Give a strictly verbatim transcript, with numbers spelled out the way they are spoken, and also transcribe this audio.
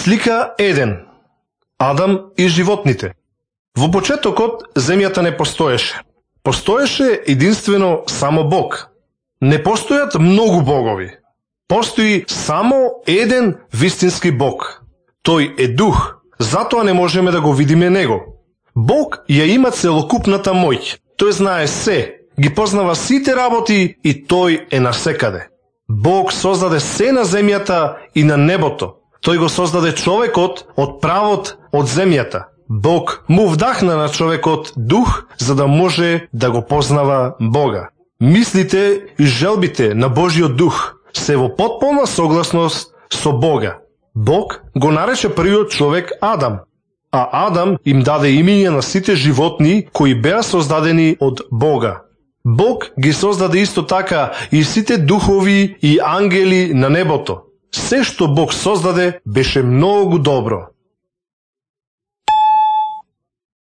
Слика еден. Адам и животните. Во почетокот земјата не постоеше. Постоеше единствено само Бог. Не постојат многу богови. Постои само еден вистински Бог. Тој е дух, затоа не можеме да го видиме него. Бог ја има целокупната моќ. Тој знае се, ги познава сите работи и тој е насекаде. Бог создаде се на земјата и на небото. Тој го создаде човекот од правот од земјата. Бог му вдахна на човекот дух за да може да го познава Бога. Мислите и желбите на Божиот дух се во потполна согласност со Бога. Бог го нарече првиот човек Адам, а Адам им даде имиња на сите животни кои беа создадени од Бога. Бог ги создаде исто така и сите духови и ангели на небото. Се што Бог создаде беше многу добро.